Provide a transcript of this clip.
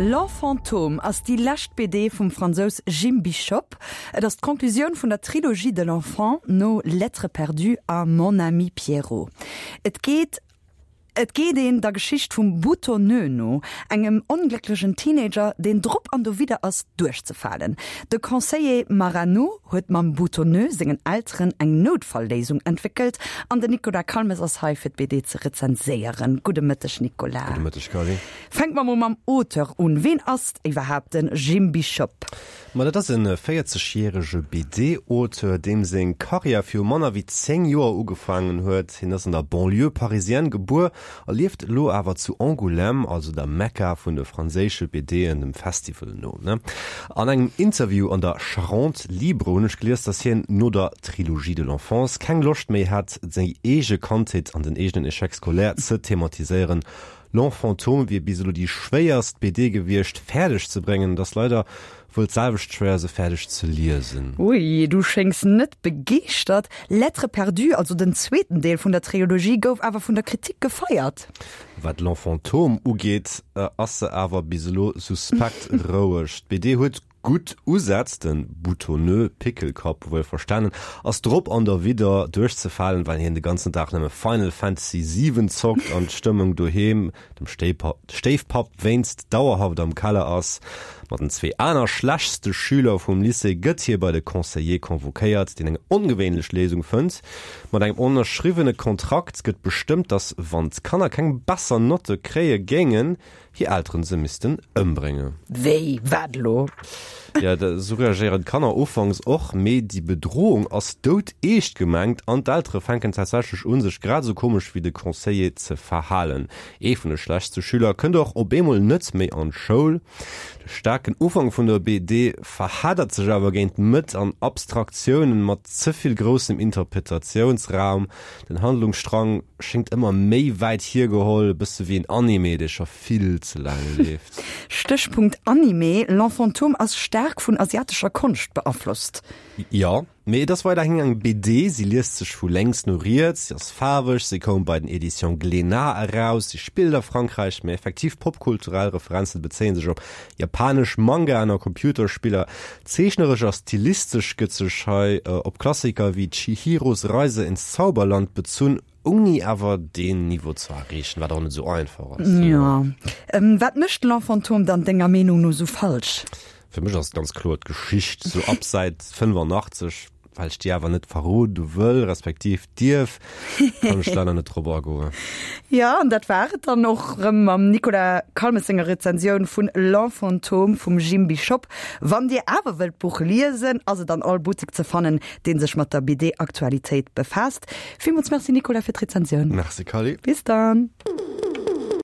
L'Enfantôme ass déi lescht BD vum Fransous Jim Bishop. Et ass d'Conclusioun vun der Trilogie de l'enfant no Lettres perdues a Mon ami Pierrot. Et geet Et geet een der Geschicht vum Boutonneux no, engem onglécklegen Teenager, deen drop an dowidder ass, duerchzefalen. De Conseiller Marano huet mam Boutonneux sengen Elteren eng Noutfalléisung entwéckelt an den Nicolas Calmes ass hei fir d'BD ze rezenséieren. Gudde Mëtteg Nicolas. Gudde Mëtteg Carly. Fänke mer mol mam Auteur un. Ween ass iwwerhaapt de Jim Bishop? Ma dat ass e 40 järege BD-Auteur, deem seng Karriär viru manner wéi 10 Joer ugefaangen huet. Hien ass an der Banlieue parisienne gebuer a lieft elo awer zu Angoulême, also der Mekka vun de franséische BDen, dem Festival no. An engem Interview an der Charente Libre hunn ech gelies, datt hien no der Trilogie de l'enfance keng Loscht méi hat, seng eege Kandheet an den eegenen Échec scolaire ze thematiséieren. L'Enfantôme wier bis elo déi schwéierst BD gewiescht fäerdeg ze bréngen. Et ass leider wuel d'selwecht schwéier se fäerdeg ze liesen. Ui, du schéngs net begeeschtert. Lettres perdues, also den zweeten Deel vun der Triologie, gouf awer vun der Kritik gefeiert. Wat L'Enfantôme ugeet, ass se awer bis elo suspekt roueg. D'BD huet Gutt Usätz, de Boutonneux Pickelkapp wuel verstanen, ass drop an derwidder duerchzefalen, well hien de ganzen Dag nëmme Final Fantasy 7 zockt an d'Stëmmung doheem, dem Stéifpapp wéinst, dauerhaft am Keller ass. Mat den zwee aner schlechtste Schüler vum Lycée gëtt hie bei de Conseiller convoquéiert, deen eng ongewéinlech Léisung fënnt. Mat engem ënnerschriwwene Kontrakt gëtt bestëmmt, datt wann d'Kanner keng besser Notte kréie géingen, hir Elteren se missten ëmbréngen. Wéi? Wat elo? Jo, esou reagéieren d'Kanner ufanks och, mee déi Bedrohung ass doudeescht gemengt an d'Eltere fänken tatsächlech un, sech grad esou komesch wéi de Conseiller ze verhalen. Ee vun de schlechtste Schüler kënnt och op eemol net méi an d'Schoul. De staarken Ufank vun der BD verheddert sech awer géint d'Mëtt an Abstraktiounen mat ze vill groussem Interpretatiounsraum. Den Handlungsstrang schéngt ëmmer méi wäit hiergeholl, e bësse wéi en Anime, dee scho vill ze laang leeft. Stéchpunkt Anime, L'Enfantôme ass staark vun asiatescher Konscht beaflosst. Jo, mee et ass weiderhin eng BD, si liest sech vu lénks no riets, si ass faarweg, si koum bei den Editions Glénat eraus, si spillt a Frankräich, mee effektiv popkulturell Referenzen bezéie sech op japanesch Mangaen a Computerspiller. Zeechneresch a stilistesch gëtt sech hei op Klassiker wéi Chihiros Reise ins Zauberland bezunn, ouni awer deen Niveau ze erreechen, wat och net esou einfach ass. Jo. Wat mécht L'Enfantôme dann denger Meenung no esou falsch? Fir mech ass et ganz kloer d'Geschicht, sou ab Säit 85, well ech déi awer net verrode wëll, respektiv dierf, kann ech leider net drop agoen. Jo, an dat war et dann och rëm mam Nicolas Calmes senger Rezensioun vun L'Enfantôme vum Jim Bishop. Wann Dir awer wëllt d'Buch liesen, ass et an all Buttek ze fannen, dee sech mat der BD-Aktualitéit befaasst. Villmools Merci Nicolas fir d'Rezensioun. Merci Carly. Bis dann.